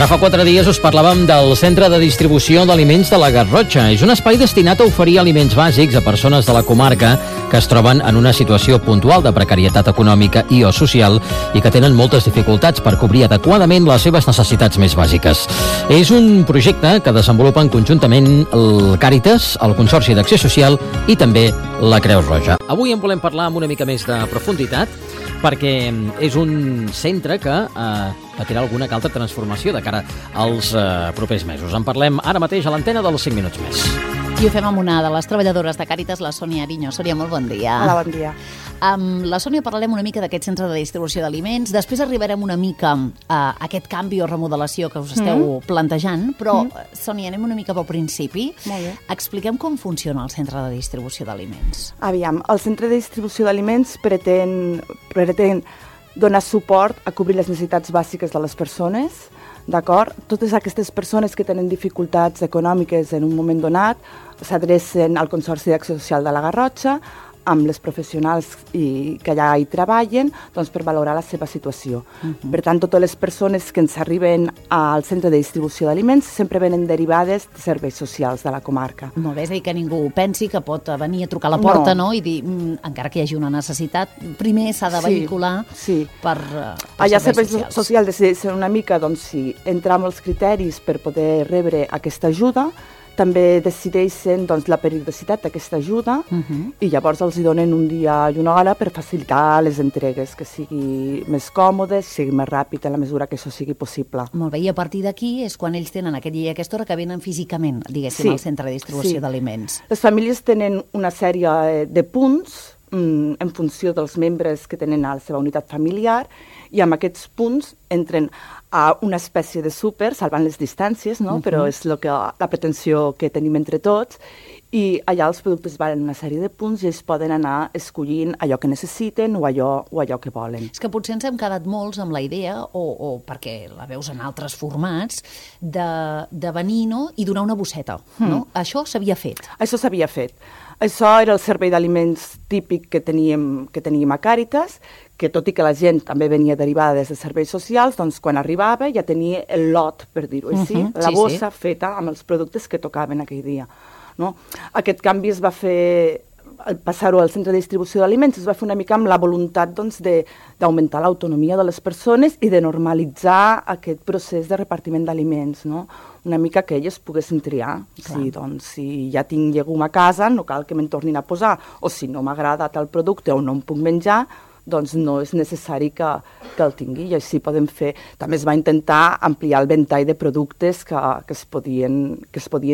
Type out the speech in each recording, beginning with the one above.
Ara fa 4 dies us parlàvem del Centre de Distribució d'Aliments de la Garrotxa. És un espai destinat a oferir aliments bàsics a persones de la comarca que es troben en una situació puntual de precarietat econòmica i o social i que tenen moltes dificultats per cobrir adequadament les seves necessitats més bàsiques. És un projecte que desenvolupen conjuntament el Càritas, el Consorci d'Acció Social i també la Creu Roja. Avui en volem parlar amb una mica més de profunditat perquè és un centre que patirà alguna altra transformació de cara als propers mesos. En parlem ara mateix a l'antena dels 5 minuts més. I ho fem amb una de les treballadores de Càritas, la Sònia Ariño. Sònia, molt bon dia. Hola, bon dia. Amb la Sònia parlarem una mica d'aquest centre de distribució d'aliments, després arribarem una mica a aquest canvi o remodelació que us esteu plantejant, però, Sònia, anem una mica pel principi. Molt bé. Expliquem com funciona el centre de distribució d'aliments. Aviam, el centre de distribució d'aliments pretén donar suport a cobrir les necessitats bàsiques de les persones, d'acord? Totes aquestes persones que tenen dificultats econòmiques en un moment donat s'adrecen al Consorci d'Acció Social de la Garrotxa amb les professionals que allà hi treballen doncs, per valorar la seva situació. Per tant, totes les persones que ens arriben al centre de distribució d'aliments sempre venen derivades de serveis socials de la comarca. Molt bé, és a dir, que ningú pensi que pot venir a trucar a la porta, no? I dir, encara que hi hagi una necessitat, primer s'ha de vehicular per allà serveis serveis socials decideix ser una mica, doncs, si entra amb els criteris per poder rebre aquesta ajuda, també decideixen doncs, la periodicitat d'aquesta ajuda i llavors els hi donen un dia i una hora per facilitar les entregues, que sigui més còmodes, sigui més ràpid en la mesura que això sigui possible. Molt bé, i a partir d'aquí és quan ells tenen aquest dia i aquesta hora que venen físicament, diguéssim, al centre de distribució d'aliments. Les famílies tenen una sèrie de punts en funció dels membres que tenen a la seva unitat familiar i amb aquests punts entren a una espècie de súper, salvant les distàncies, no? Però és la pretensió que tenim entre tots, i allà els productes valen una sèrie de punts i ells poden anar escollint allò que necessiten o allò que volen. És que potser ens hem quedat molts amb la idea, o perquè la veus en altres formats, de venir, no?, i donar una bosseta, no? Això s'havia fet. Això s'havia fet. Això era el servei d'aliments típic que teníem a Càritas, que tot i que la gent també venia derivada des de serveis socials, doncs quan arribava ja tenia el lot, per dir-ho així, la bossa feta amb els productes que tocaven aquell dia. No? Aquest canvi es va fer, al passar-ho al centre de distribució d'aliments, es va fer una mica amb la voluntat doncs, d'augmentar l'autonomia de les persones i de normalitzar aquest procés de repartiment d'aliments, no? Una mica que elles poguessin triar. Si ja tinc llegum a casa, no cal que me'n tornin a posar, o si no m'agrada tal producte o no em puc menjar, doncs no és necessari que el tingui, i així podem fer. També es va intentar ampliar el ventall de productes que es podien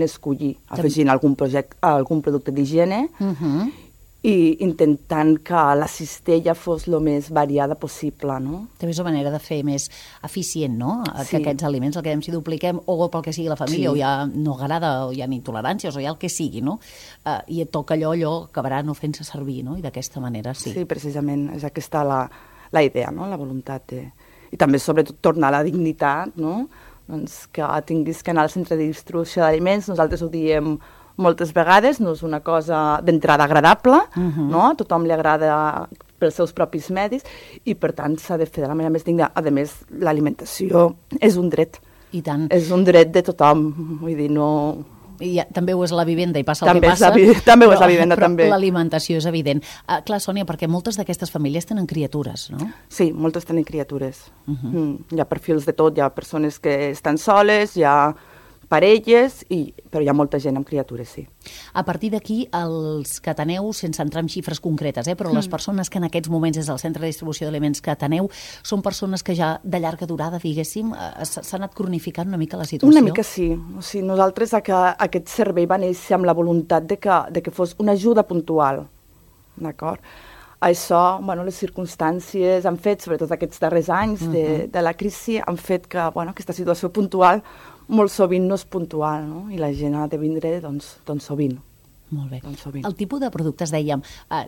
escollir, afegint algun producte d'higiene i intentant que la cistella fos el més variada possible, no? També és una manera de fer més eficient, no?, que aquests aliments, el que si dupliquem, o pel que sigui la família, o ja no agrada, o hi ha intoleràncies, o hi ha el que sigui, no? I et toca allò acabarà no fent-se servir, no?, i d'aquesta manera sí. Sí, precisament, és aquesta la idea, no?, la voluntat de... I també, sobretot, tornar a la dignitat, no?, doncs que tinguis que anar al centre de distribució d'aliments, nosaltres ho diem moltes vegades, no és una cosa d'entrada agradable, no? A tothom li agrada pels seus propis medis i, per tant, s'ha de fer de la manera més digna. A més, l'alimentació és un dret. I tant. És un dret de tothom, vull dir, no... I també ho és la vivenda i passa el que passa. També ho és la vivenda, també. Però l'alimentació és evident. Clar, Sònia, perquè moltes d'aquestes famílies tenen criatures, no? Sí, moltes tenen criatures. Hi ha perfils de tot, hi ha persones que estan soles, hi ha parelles, però hi ha molta gent amb criatures, sí. A partir d'aquí, els que ateneu, sense entrar en xifres concretes, però les persones que en aquests moments des del centre de distribució d'aliments que ateneu són persones que ja de llarga durada, diguéssim, s'ha anat cronificant una mica la situació? Una mica sí. O sigui, nosaltres aquest servei va néixer amb la voluntat de que fos una ajuda puntual, d'acord? Això, les circumstàncies han fet, sobretot aquests darrers anys de la crisi, han fet que aquesta situació puntual molt sovint no és puntual, no? I la gent ha de vindre doncs sovint. Molt bé. Doncs sovint. El tipus de productes, dèiem,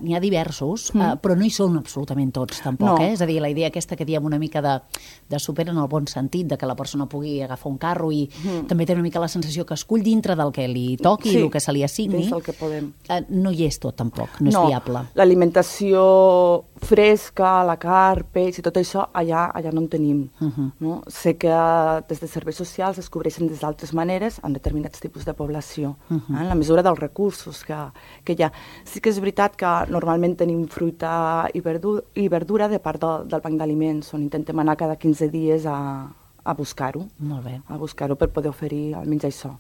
n'hi ha diversos, però no hi són absolutament tots, tampoc, No. És a dir, la idea aquesta que diem una mica de súper en el bon sentit, de que la persona pugui agafar un carro i també té una mica la sensació que escull dintre del que li toqui, el que se li assigni. dins del que podem. No hi és tot, tampoc, no és viable. L'alimentació fresca, la carn, peix i tot això, allà no en tenim. No? Sé que des de serveis socials es cobreixen d'altres maneres en determinats tipus de població, en la mesura dels recursos que hi ha. Sí que és veritat que normalment tenim fruita i verdura de part del banc d'aliments, on intentem anar cada 15 dies a buscar-ho. Molt bé. A buscar-ho per poder oferir almenys això.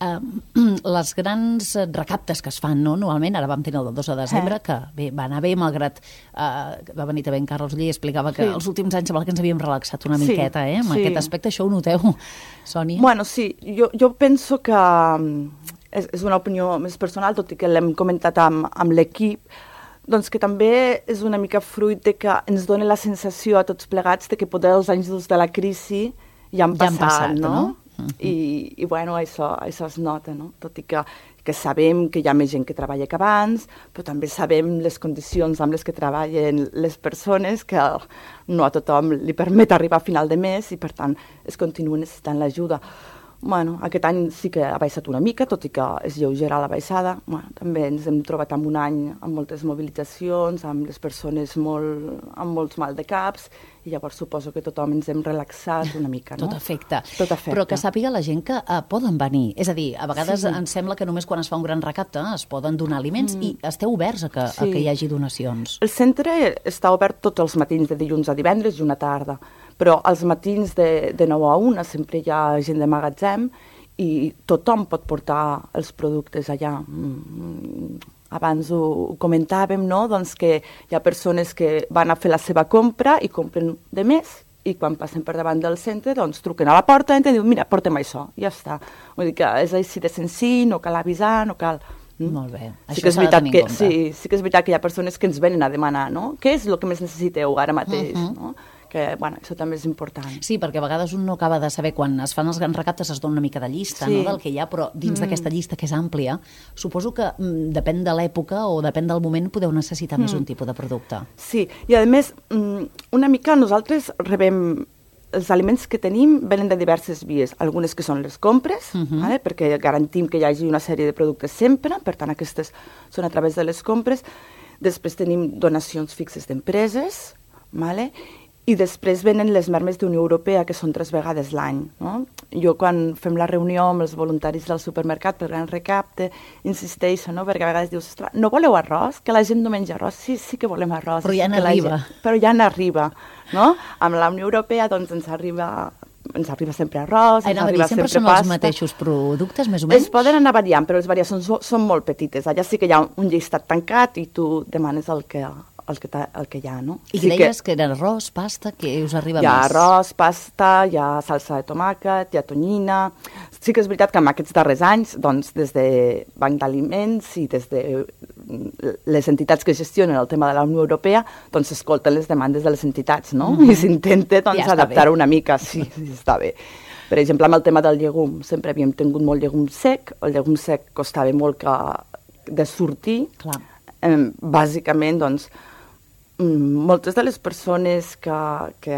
Les grans recaptes que es fan, no? Normalment, ara vam tenir el del 2 de desembre, que bé, va anar bé, malgrat va venir també en Carlos Llí i explicava que els últims anys sembla que ens havíem relaxat una miqueta, amb aquest aspecte. Això ho noteu, Sònia? Bueno, sí, jo penso que és una opinió més personal, tot i que l'hem comentat amb l'equip, doncs que també és una mica fruit de que ens dona la sensació a tots plegats de que poder els anys durs de la crisi ja han passat, no? I bueno, això es nota, no? Tot i que sabem que hi ha més gent que treballa que abans, però també sabem les condicions amb les que treballen les persones, que no a tothom li permet arribar a final de mes i, per tant, es continua necessitant l'ajuda. Bueno, aquest any sí que ha baixat una mica, tot i que és lleugera la baixada. Bueno, també ens hem trobat en un any amb moltes mobilitzacions, amb les persones amb molts mal de caps, i llavors suposo que tothom ens hem relaxat una mica, no? Tot afecta. Tot afecta. Però que sàpiga la gent que poden venir. És a dir, a vegades ens sembla que només quan es fa un gran recapte es poden donar aliments i esteu oberts a que hi hagi donacions. El centre està obert tots els matins, de dilluns a divendres i una tarda, però als matins de 9 a 1 sempre hi ha gent de magatzem i tothom pot portar els productes allà. Abans ho comentàvem, no? Doncs que hi ha persones que van a fer la seva compra i compren de més i quan passen per davant del centre doncs truquen a la porta i diuen mira, porta'm això, i ja està. Vull dir que és així de senzill, no cal avisar, no cal... Molt bé, això s'ha de tenir en compte. Sí que és veritat que hi ha persones que ens venen a demanar, no? Què és el que més necessiteu ara mateix, no? Que, bueno, això també és important. Sí, perquè a vegades un no acaba de saber, quan es fan els grans recaptes es dona una mica de llista, no, del que hi ha, però dins d'aquesta llista, que és àmplia, suposo que depèn de l'època o depèn del moment podeu necessitar més un tipus de producte. Sí, i a més, una mica nosaltres rebem... Els aliments que tenim venen de diverses vies, algunes que són les compres, perquè garantim que hi hagi una sèrie de productes sempre, per tant aquestes són a través de les compres. Després tenim donacions fixes d'empreses, i després venen les mermes d'Unió Europea, que són 3 vegades l'any. No? Jo, quan fem la reunió amb els voluntaris del supermercat per gran recapte, insisteixo, no? Perquè a vegades dius, no voleu arròs? Que la gent no menja arròs? Sí que volem arròs. Però ja n'arriba. Però ja n'arriba, no? Amb la Unió Europea, doncs, ens arriba sempre arròs, ens arriba sempre pasta. Sempre són els mateixos productes, més o menys? Es poden anar variant, però les variacions són molt petites. Allà sí que hi ha un llistat tancat i tu demanes el que hi ha, no? I deies que era arròs, pasta, que us arriba més? Hi ha arròs, pasta, hi ha salsa de tomàquet, hi ha tonyina... Sí que és veritat que en aquests darrers anys, doncs, des de Banc d'Aliments i des de les entitats que gestionen el tema de la Unió Europea, doncs s'escolten les demandes de les entitats, no? I s'intenta, doncs, adaptar una mica. Sí, està bé. Per exemple, amb el tema del llegum, sempre havíem tingut molt llegum sec, el llegum sec costava molt de sortir. Clar. Bàsicament, doncs, moltes de les persones que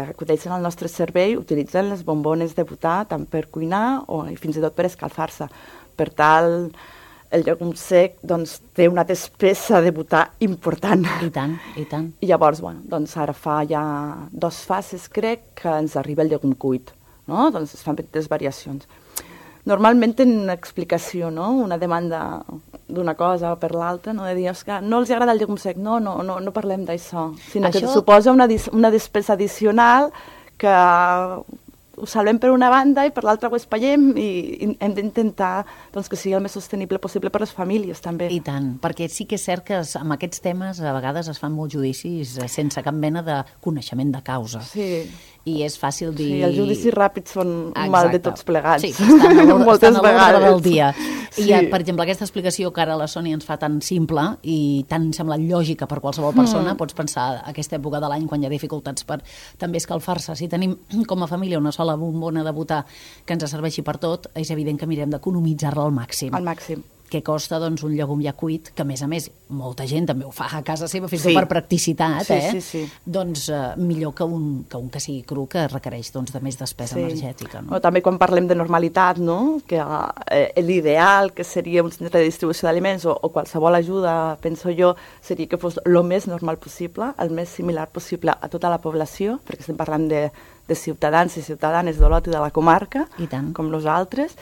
acudeixen al nostre servei utilitzen les bombones de butà tant per cuinar o fins i tot per escalfar-se. Per tal, el llegum sec doncs, té una despesa de butà important. I tant, i tant. I llavors, bueno, doncs ara fa ja 2 fases, crec, que ens arriba el llegum cuit. No? Doncs es fan petites variacions. Normalment tenen una explicació, no? Una demanda d'una cosa per l'altra, no? De dir, que no els agrada el llegum sec, no parlem d'això, sinó que suposa una despesa addicional que ho salvem per una banda i per l'altra ho espallem i hem d'intentar doncs, que sigui el més sostenible possible per les famílies també. I tant, perquè sí que és cert que amb aquests temes a vegades es fan molts judicis sense cap mena de coneixement de causa. Sí. I és fàcil dir... Sí, els judicis ràpids són un mal de tots plegats. Sí, estan a l'ordre del dia. Sí. I, per exemple, aquesta explicació que ara la Sònia ens fa tan simple i tan sembla lògica per qualsevol persona, pots pensar a aquesta època de l'any quan hi ha dificultats per també escalfar-se. Si tenim com a família una sola bombona de butà que ens serveixi per tot, és evident que mirem d'economitzar-la al màxim. Al màxim. què costa doncs, un llegum ja cuit, que a més, molta gent també ho fa a casa seva, fins per practicitat, sí. Doncs millor que un que sigui cru, que requereix doncs, de més despesa energètica. No? També quan parlem de normalitat, no? Que l'ideal que seria un centre de distribució d'aliments o qualsevol ajuda, penso jo, seria que fos el més normal possible, el més similar possible a tota la població, perquè estem parlant de ciutadans i ciutadanes d'Olot i de la comarca, com nosaltres.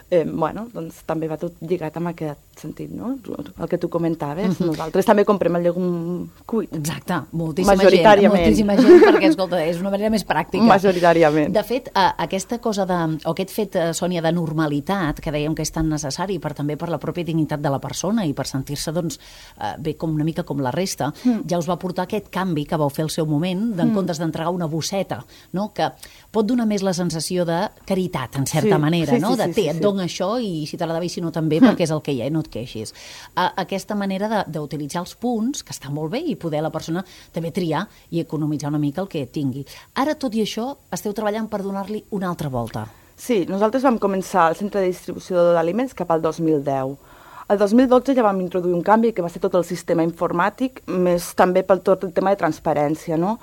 Doncs també va tot lligat amb aquest sentit, no? El que tu comentaves. Nosaltres també comprem el llegum cuit. Exacte, moltíssima gent, perquè, escolta, és una manera més pràctica. Majoritàriament. De fet, aquesta cosa o aquest fet, Sònia, de normalitat, que dèiem que és tan necessari també per la pròpia dignitat de la persona i per sentir-se, doncs, bé, com una mica com la resta, ja us va portar aquest canvi que vau fer al seu moment, en comptes d'entregar una bosseta, no? Que pot donar més la sensació de caritat, en certa manera, no? De et dono això i si t'agrada bé, si no també, perquè és el que hi ha i no et queixis. Aquesta manera d'utilitzar els punts, que està molt bé, i poder la persona també triar i economitzar una mica el que tingui. Ara, tot i això, esteu treballant per donar-li una altra volta. Sí, nosaltres vam començar el centre de distribució d'aliments cap al 2010. El 2012 ja vam introduir un canvi que va ser tot el sistema informàtic, més també pel tot el tema de transparència, no?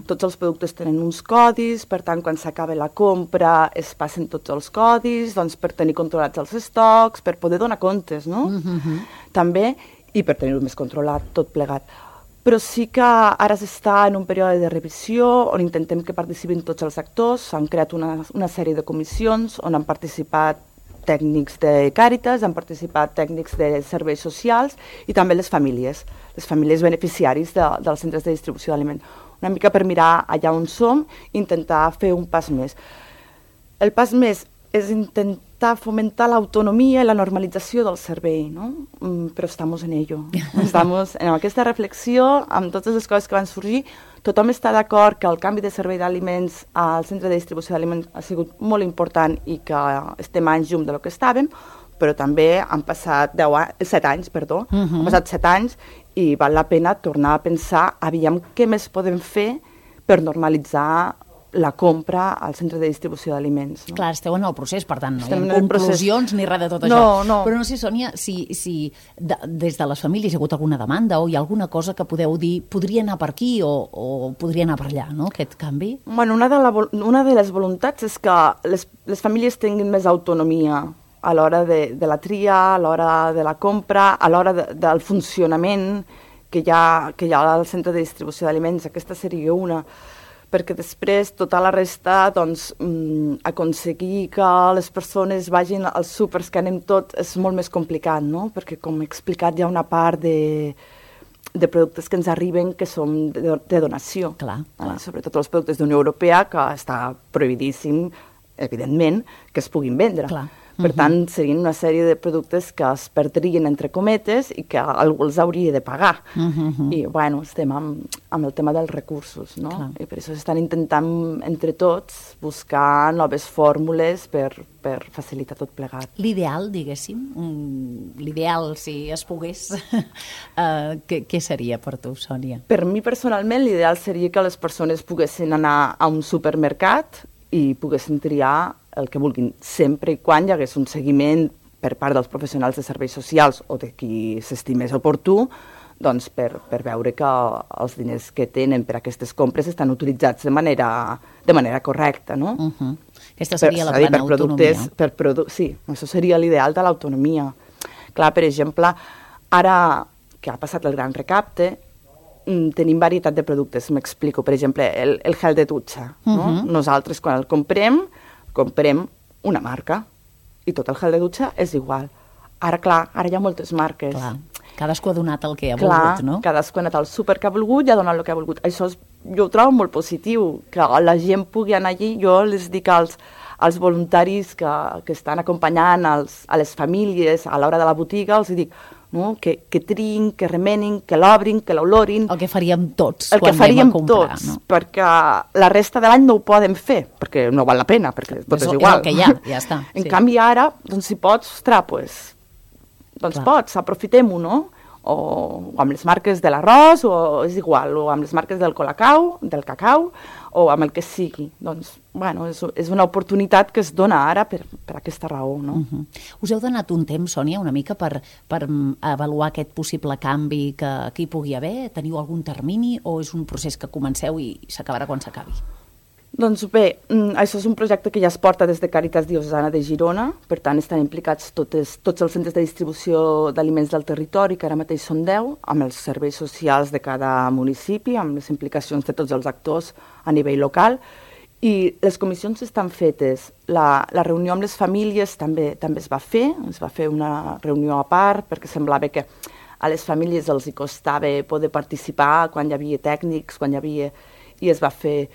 Tots els productes tenen uns codis, per tant, quan s'acaba la compra es passen tots els codis, doncs per tenir controlats els estocs, per poder donar comptes, no? També, i per tenir-ho més controlat, tot plegat. Però sí que ara s'està en un període de revisió on intentem que participin tots els actors, s'han creat una sèrie de comissions on han participat tècnics de Càritas, han participat tècnics de serveis socials i també les famílies beneficiaris dels centres de distribució d'aliments. Una mica per mirar allà on som i intentar fer un pas més. El pas més és intentar fomentar l'autonomia i la normalització del servei, no? Però estamos en ello. Estamos en aquesta reflexió, amb totes les coses que van sorgir. Tothom està d'acord que el canvi de servei d'aliments al centre de distribució d'aliments ha sigut molt important i que estem anys llum del que estàvem, però també han passat 7 anys, han passat 7 anys i val la pena tornar a pensar aviam què més podem fer per normalitzar la compra al centre de distribució d'aliments. Clar, esteu en el procés, per tant, no hi ha conclusions ni res de tot això. Però no sé, Sònia, si des de les famílies hi ha hagut alguna demanda o hi ha alguna cosa que podeu dir podria anar per aquí o podria anar per allà, no?, aquest canvi? Bueno, una de les voluntats és que les famílies tinguin més autonomia a l'hora de la tria, a l'hora de la compra, a l'hora del funcionament que hi ha al centre de distribució d'aliments. Aquesta seria una, perquè després tota la resta, doncs, aconseguir que les persones vagin als súpers que anem tots és molt més complicat, no? Perquè, com he explicat, hi ha una part de productes que ens arriben que són de donació. Clar. Sobretot els productes d'Unió Europea, que està prohibidíssim, evidentment, que es puguin vendre. Clar. Per tant, serien una sèrie de productes que es perdrien entre cometes i que algú els hauria de pagar. I, bueno, estem amb el tema dels recursos, no? Clar. I per això s'estan intentant, entre tots, buscar noves fórmules per facilitar tot plegat. L'ideal, diguéssim, l'ideal, si es pogués, què seria per tu, Sònia? Per mi, personalment, l'ideal seria que les persones poguessin anar a un supermercat i poguessin triar el que vulguin, sempre i quan hi hagués un seguiment per part dels professionals de serveis socials o de qui s'estimés oportú, doncs per veure que els diners que tenen per aquestes compres estan utilitzats de manera correcta, no? Aquesta seria la plena autonomia. Sí, això seria l'ideal de l'autonomia. Clar, per exemple, ara que ha passat el gran recapte, tenim varietat de productes, m'explico. Per exemple, el gel de dutxa. No? Nosaltres, quan el comprem una marca i tot el gel de dutxa és igual. Ara, clar, ara hi ha moltes marques. Clar. Cadascú ha donat el que ha volgut, no? Cadascú ha anat al súper que ha volgut i ha donat el que ha volgut. Això jo ho trobo molt positiu, que la gent pugui anar allí. Jo les dic als voluntaris que estan acompanyant a les famílies a l'hora de la botiga, els dic, no? Que triïn, que remenin, que l'obrin, que l'olorin. El que faríem tots quan anem a comprar. No? Perquè la resta de l'any no ho poden fer, perquè no val la pena, perquè tot és igual. És el que hi ha, ja està. En canvi ara, doncs si pots, ostres, doncs pots, aprofitem-ho, no? o amb les marques de l'arròs, o és igual, o amb les marques del cacau, o amb el que sigui. Doncs, bueno, és una oportunitat que es dona ara per aquesta raó, no? Us heu donat un temps, Sònia, una mica per avaluar aquest possible canvi que hi pugui haver? Teniu algun termini o és un procés que comenceu i s'acabarà quan s'acabi? Doncs bé, això és un projecte que ja es porta des de Càritas Diocesana de Girona, per tant estan implicats tots els centres de distribució d'aliments del territori, que ara mateix són 10, amb els serveis socials de cada municipi, amb les implicacions de tots els actors a nivell local, i les comissions estan fetes. La reunió amb les famílies també es va fer una reunió a part, perquè semblava que a les famílies els hi costava poder participar quan hi havia tècnics, i es va fer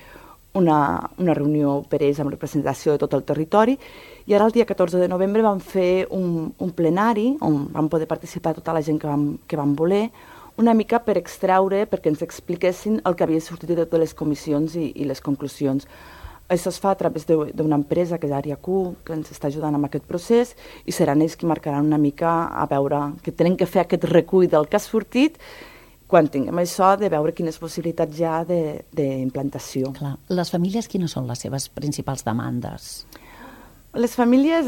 una reunió per ells amb representació de tot el territori, i ara el dia 14 de novembre vam fer un plenari on vam poder participar tota la gent que vam voler, una mica per extreure, perquè ens expliquessin el que havia sortit de totes les comissions i les conclusions. Això es fa a través d'una empresa que és Ariacu, que ens està ajudant amb aquest procés, i seran ells qui marcaran una mica a veure que tenen que fer aquest recull del que ha sortit, quan tinguem això, de veure quines possibilitats hi ha d'implantació. Clar. Les famílies, quines són les seves principals demandes? Les famílies,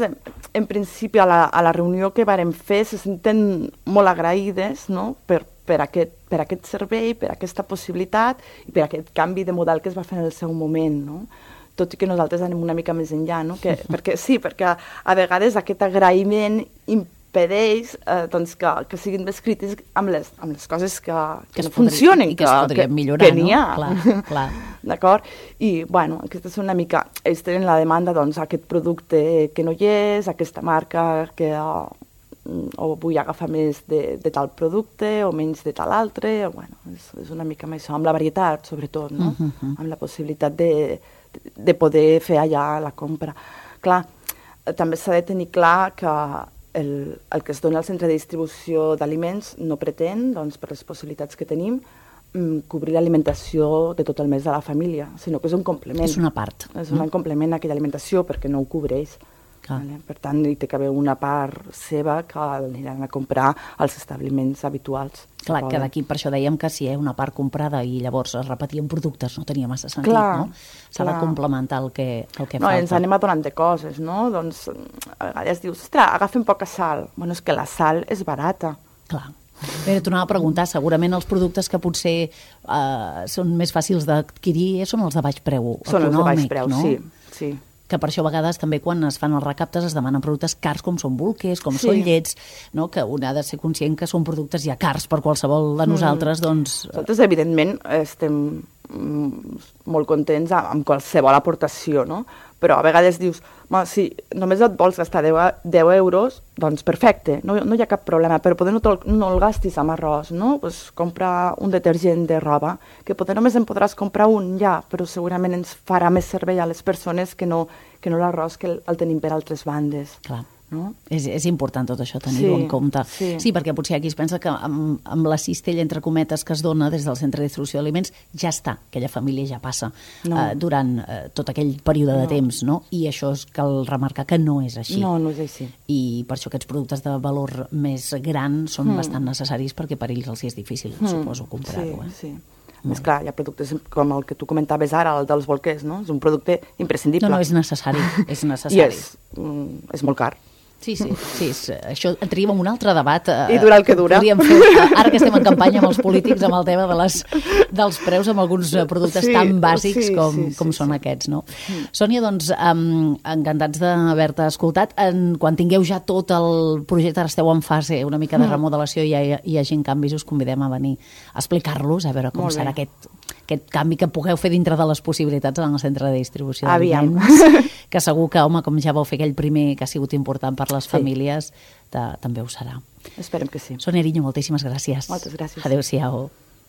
en principi, a la reunió que vàrem fer, se senten molt agraïdes, no?, per aquest servei, per aquesta possibilitat i per aquest canvi de model que es va fer en el seu moment, no? Tot i que nosaltres anem una mica més enllà, no? Perquè a vegades aquest agraïment impedeix que siguin més crítics amb les coses que no funcionen, i que es podrien millorar, que n'hi ha. Clar. D'acord? I, bueno, aquesta és una mica... Ells tenen la demanda, doncs, aquest producte que no hi és, aquesta marca que o vull agafar més de tal producte o menys de tal altre, bueno, és una mica amb això, amb la varietat, sobretot, no? Amb la possibilitat de poder fer allà la compra. Clar, també s'ha de tenir clar que el que es dona al centre de distribució d'aliments no pretén, doncs, per les possibilitats que tenim, cobrir l'alimentació de tot el mes de la família, sinó que és un complement. És una part. És un complement a aquella alimentació perquè no ho cobreix. Vale? Per tant, hi té que haver una part seva que aniran a comprar als establiments habituals. Clar, que d'aquí per això dèiem que si hi ha una part comprada i llavors es repetien productes no tenia massa sentit, no? S'ha de complementar el que falta. No, ens anem adonant de coses, no? Doncs a vegades dius, ostres, agafen poca sal. Bueno, és que la sal és barata. Clar. Bé, t'anava a preguntar, segurament els productes que potser són més fàcils d'adquirir són els de baix preu econòmic, no? Són els de baix preu, sí. Que per això a vegades també quan es fan els recaptes es demanen productes cars com són bolquers, com són llets, no? Que un ha de ser conscient que són productes ja cars per qualsevol de nosaltres, doncs... Nosaltres, evidentment, estem molt contents amb qualsevol aportació, no? Però a vegades dius, si només et vols gastar 10 euros, doncs perfecte, no hi ha cap problema, però poder no el gastis amb arròs, no? Pues compra un detergent de roba, que poder només en podràs comprar un ja, però segurament ens farà més servei a les persones que no l'arròs que el tenim per altres bandes. Clar. No? És important tot això tenir-ho en compte. Sí, perquè potser aquí es pensa que amb la cistella, entre cometes, que es dona des del centre de distribució d'aliments, ja està, aquella família ja passa durant tot aquell període de temps, no? I això cal remarcar que no és així. No és així. I per això aquests productes de valor més gran són bastant necessaris perquè per ells els és difícil, suposo, comprar-ho. Sí. Més clar, hi ha productes com el que tu comentaves ara, el dels bolquers, no? És un producte imprescindible. No, és necessari, és necessari. I és molt car. Sí, això entraríem en un altre debat. I dura el que dura. Ara que estem en campanya amb els polítics, amb el tema dels preus, amb alguns productes tan bàsics com són aquests, no? Sònia, doncs, encantats d'haver-te escoltat. Quan tingueu ja tot el projecte, ara esteu en fase una mica de remodelació i hi hagi canvis, us convidem a venir a explicar-los, a veure com serà aquest canvi que pugueu fer dintre de les possibilitats en el centre de distribució d'aliments, que segur que, home, com ja vau fer aquell primer que ha sigut important per les famílies, també ho serà. Esperem que sí. Sònia Eriño, moltíssimes gràcies. Moltes gràcies. Adéu-siau.